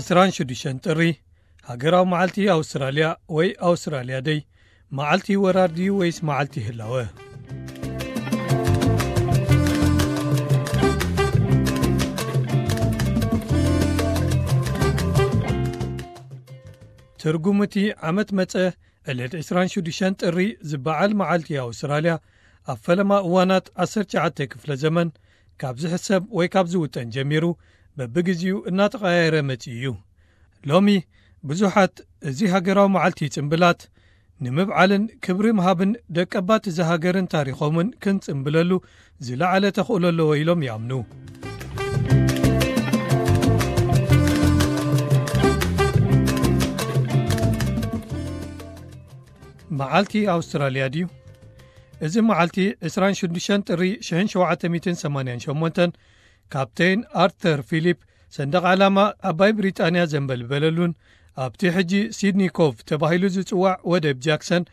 ዕስራን ሽዱሽተን ጥሪ፣ ሃገራዊ መዓልቲ ኣውስትራልያ ወይ ኣውስትራልያ ደይ፣ መዓልቲ ወራር ድዩ ወይስ መዓልቲ ህላወ? ትርጉም እቲ ዓመት መጸ ዕለት ዕስራን ሽዱሽተን ጥሪ ዝበዓል መዓልቲ ኣውስትራልያ፣ ኣብ ፈለማ እዋናት ዓሰርተ ትሽዓተ ክፍለ ዘመን ካብ ዝሕሰብ ወይ ካብ ዝውጠን ጀሚሩ፣ በብግዜኡ እናተቐያየረ መጺኡ እዩ። ሎሚ ብዙሓት እዚ ሃገራዊ መዓልቲ ጽምብላት ንምብዓልን ክብሪ ምሃብን ደቀባት እዚ ሃገርን ታሪኾምን ክንጽምብለሉ ዝለዓለ ተኽእሎ ኣለዎ ኢሎም ይኣምኑ። መዓልቲ ኣውስትራልያ ድዩ? እዚ መዓልቲ ዕስራን ሽዱሽተን ጥሪ ሽሕን ሸውዓተ ሚእትን ሰማንያን ሸሞንተን ካፕቴን ኣርተር ፊሊፕ ሰንደቕ ዓላማ ዓባይ ብሪጣንያ ዘንበልበለሉን ኣብቲ ሕጂ ሲድኒ ኮቭ ተባሂሉ ዝጽዋዕ ወደብ ጃክሰን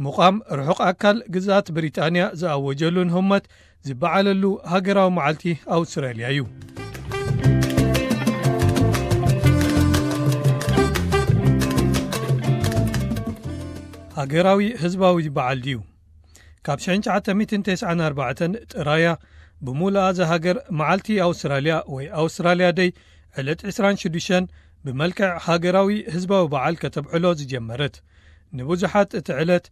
ምቋም ርሑቕ ኣካል ግዝኣት ብሪጣንያ ዝኣወጀሉን ህሞት ዝበዓለሉ ሃገራዊ መዓልቲ ኣውስትራልያ እዩ። ሃገራዊ ህዝባዊ በዓል ድዩ? ካብ ሽሕን ትሽዓተ ሚእትን ተስዓን ኣርባዕተን ጥራያ ብምሉኣ እዛ ሃገር መዓልቲ ኣውስትራልያ ወይ ኣውስትራልያ ደይ ዕለት ዕስራን ሽዱሽተን ብመልክዕ ሃገራዊ ህዝባዊ በዓል ከተብዕሎ ዝጀመረት። ንብዙሓት እቲ ዕለት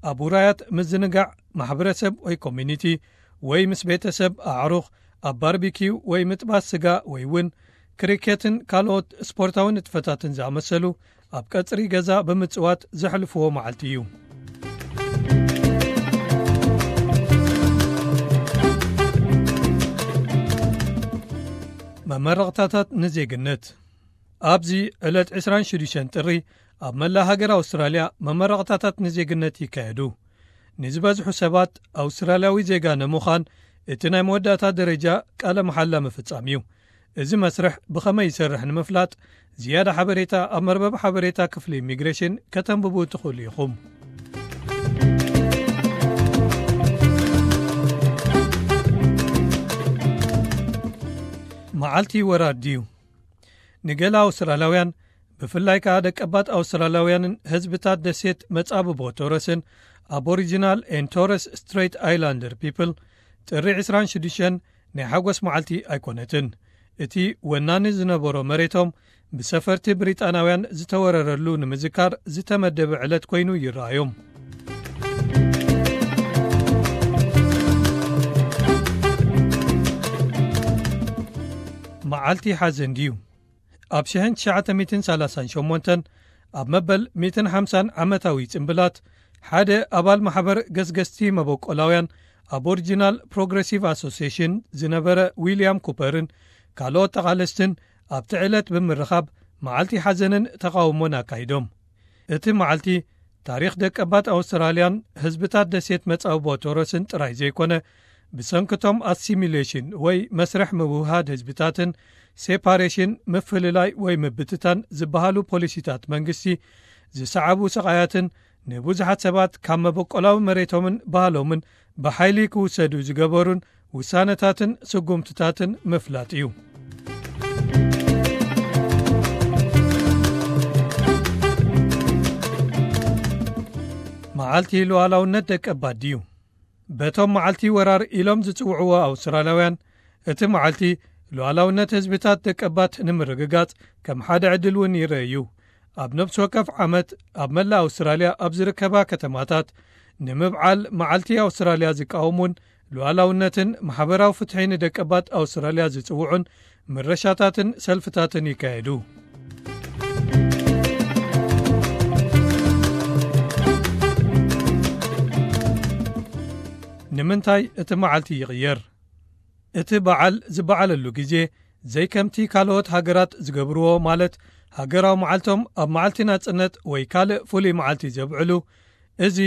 ኣብ ውራያት ምዝንጋዕ ማሕበረሰብ ወይ ኮሚኒቲ ወይ ምስ ቤተሰብ ኣዕሩኽ ኣብ ባርቢኪው ወይ ምጥባስ ስጋ ወይ እውን ክሪኬትን ካልኦት ስፖርታዊ ንጥፈታትን ዝኣመሰሉ ኣብ ቀጽሪ ገዛ ብምጽዋት ዘሕልፍዎ መዓልቲ እዩ። መመረቕታታት ንዜግነት። ኣብዚ ዕለት ዕስራን ሽዱሽተን ጥሪ ኣብ መላእ ሃገር ኣውስትራልያ መመረቕታታት ንዜግነት ይካየዱ። ንዝበዝሑ ሰባት ኣውስትራልያዊ ዜጋ ንምዃን እቲ ናይ መወዳእታ ደረጃ ቃለ መሓላ ምፍጻም እዩ። እዚ መስርሕ ብኸመይ ይሰርሕ ንምፍላጥ ዝያዳ ሓበሬታ ኣብ መርበብ ሓበሬታ ክፍሊ ኢሚግሬሽን ከተንብቡ ትኽእሉ ኢኹም። መዓልቲ ወራር ድዩ? ንገለ ኣውስትራልያውያን፣ ብፍላይ ከኣ ደቀባት ኣውስትራልያውያንን ህዝብታት ደሴት መጻብቦ ቶረስን ኣቦሪጂናል ኤን ቶረስ ስትሬት ኣይላንደር ፒፕል፣ ጥሪ ዕስራን ሽዱሽተን ናይ ሓጎስ መዓልቲ ኣይኮነትን። እቲ ወናኒ ዝነበሮ መሬቶም ብሰፈርቲ ብሪጣናውያን ዝተወረረሉ ንምዝካር ዝተመደበ ዕለት ኮይኑ ይረኣዮም። መዓልቲ ሓዘን ድዩ? ኣብ ሽሕን ትሽዓተ ሚእትን ሰላሳን ሸሞንተን ኣብ መበል ሚእትን ሓምሳን ዓመታዊ ጽምብላት ሓደ ኣባል ማሕበር ገስገስቲ መበቆላውያን ኣቦሪጂናል ፕሮግረሲቭ ኣሶሲሽን ዝነበረ ዊልያም ኩፐርን ካልኦት ተቓለስትን ኣብቲ ዕለት ብምርኻብ መዓልቲ ሓዘንን ተቓውሞን ኣካይዶም። እቲ መዓልቲ ታሪኽ ደቀባት ኣውስትራልያን ህዝብታት ደሴት መጻብቦ ቶረስን ጥራይ ዘይኮነ፣ ብሰንክቶም ኣሲሚሌሽን ወይ መስርሕ ምውህሃድ ህዝብታትን ሴፓሬሽን ምፍልላይ ወይ ምብትታን ዝበሃሉ ፖሊሲታት መንግስቲ ዝሰዓቡ ስቓያትን ንብዙሓት ሰባት ካብ መበቆላዊ መሬቶምን ባህሎምን ብሓይሊ ክውሰዱ ዝገበሩን ውሳነታትን ስጉምትታትን ምፍላጥ እዩ። መዓልቲ ሉዓላውነት ደቀባት ድዩ? በቶም መዓልቲ ወራር ኢሎም ዝጽውዕዎ ኣውስትራልያውያን፣ እቲ መዓልቲ ሉዓላውነት ህዝብታት ደቀባት ንምርግጋጽ ከም ሓደ ዕድል እውን ይረአ እዩ። ኣብ ነፍሲ ወከፍ ዓመት ኣብ መላእ ኣውስትራልያ ኣብ ዝርከባ ከተማታት ንምብዓል መዓልቲ ኣውስትራልያ ዝቃወሙን ሉዓላውነትን ማሕበራዊ ፍትሒ ንደቀባት ኣውስትራልያ ዝጽውዑን ምረሻታትን ሰልፍታትን ይካየዱ። ንምንታይ እቲ መዓልቲ ይቕየር? እቲ በዓል ዝበዓለሉ ግዜ ዘይከምቲ ካልኦት ሃገራት ዝገብርዎ፣ ማለት ሃገራዊ መዓልቶም ኣብ መዓልቲ ናጽነት ወይ ካልእ ፍሉይ መዓልቲ ዘብዕሉ፣ እዚ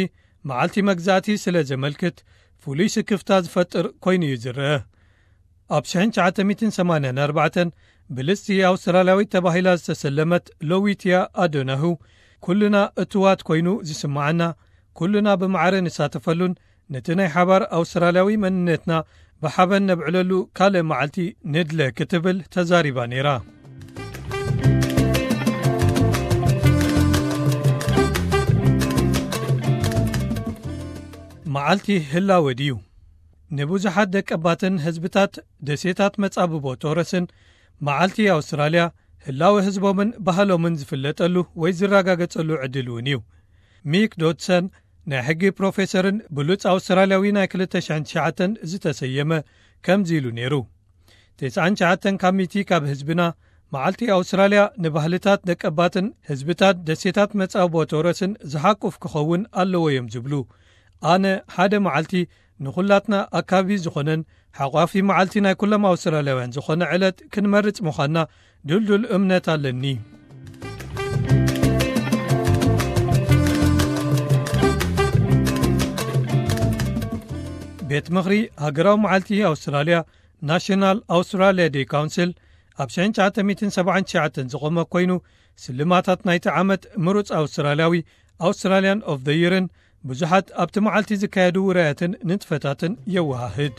መዓልቲ መግዛእቲ ስለ ዘመልክት ፍሉይ ስክፍታ ዝፈጥር ኮይኑ እዩ ዝረአ። ኣብ ሽሕን ትሽዓተ ሚእትን ሰማንያን ኣርባዕተን ብልጽቲ ኣውስትራልያዊት ተባሂላ ዝተሰለመት ሎዊትያ ኣዶናሁ፣ ኩልና እትዋት ኮይኑ ዝስምዓና፣ ኩልና ብማዕረ ንሳተፈሉን ነቲ ናይ ሓባር ኣውስትራልያዊ መንነትና ብሓበን ነብዕለሉ ካልእ መዓልቲ ንድለ ክትብል ተዛሪባ ነይራ። መዓልቲ ህላወ ድዩ? ንብዙሓት ደቀባትን ህዝብታት ደሴታት መጻብቦ ቶረስን መዓልቲ ኣውስትራልያ ህላወ ህዝቦምን ባህሎምን ዝፍለጠሉ ወይ ዝረጋገጸሉ ዕድል እውን እዩ። ሚክ ዶድሰን ናይ ሕጊ ፕሮፌሰርን ብሉጽ ኣውስትራልያዊ ናይ ክልተ ሽሕን ትሽዓተን ዝተሰየመ ከምዚ ኢሉ ነይሩ። ተስዓን ትሽዓተን ካብ ሚእቲ ካብ ህዝብና መዓልቲ ኣውስትራልያ ንባህልታት ደቀባትን ህዝብታት ደሴታት መጻብቦ ቶረስን ዝሓቁፍ ክኸውን ኣለዎ እዮም ዝብሉ። ኣነ ሓደ መዓልቲ ንኹላትና ኣካቢ ዝኾነን ሓቋፊ መዓልቲ ናይ ኩሎም ኣውስትራልያውያን ዝኾነ ዕለት ክንመርጽ ምዃንና ድልዱል እምነት ኣለኒ። ቤት ምኽሪ ሃገራዊ መዓልቲ ኣውስትራልያ፣ ናሽናል ኣውስትራልያ ዴይ ካውንስል፣ ኣብ ሽሕን ትሽዓተ ሚእትን ሰብዓን ትሽዓተን ዝቖመ ኮይኑ፣ ስልማታት ናይቲ ዓመት ምሩጽ ኣውስትራልያዊ፣ ኣውስትራልያን ኦፍ ዘ ይርን ብዙሓት ኣብቲ መዓልቲ ዝካየዱ ውራያትን ንጥፈታትን የወሃህድ።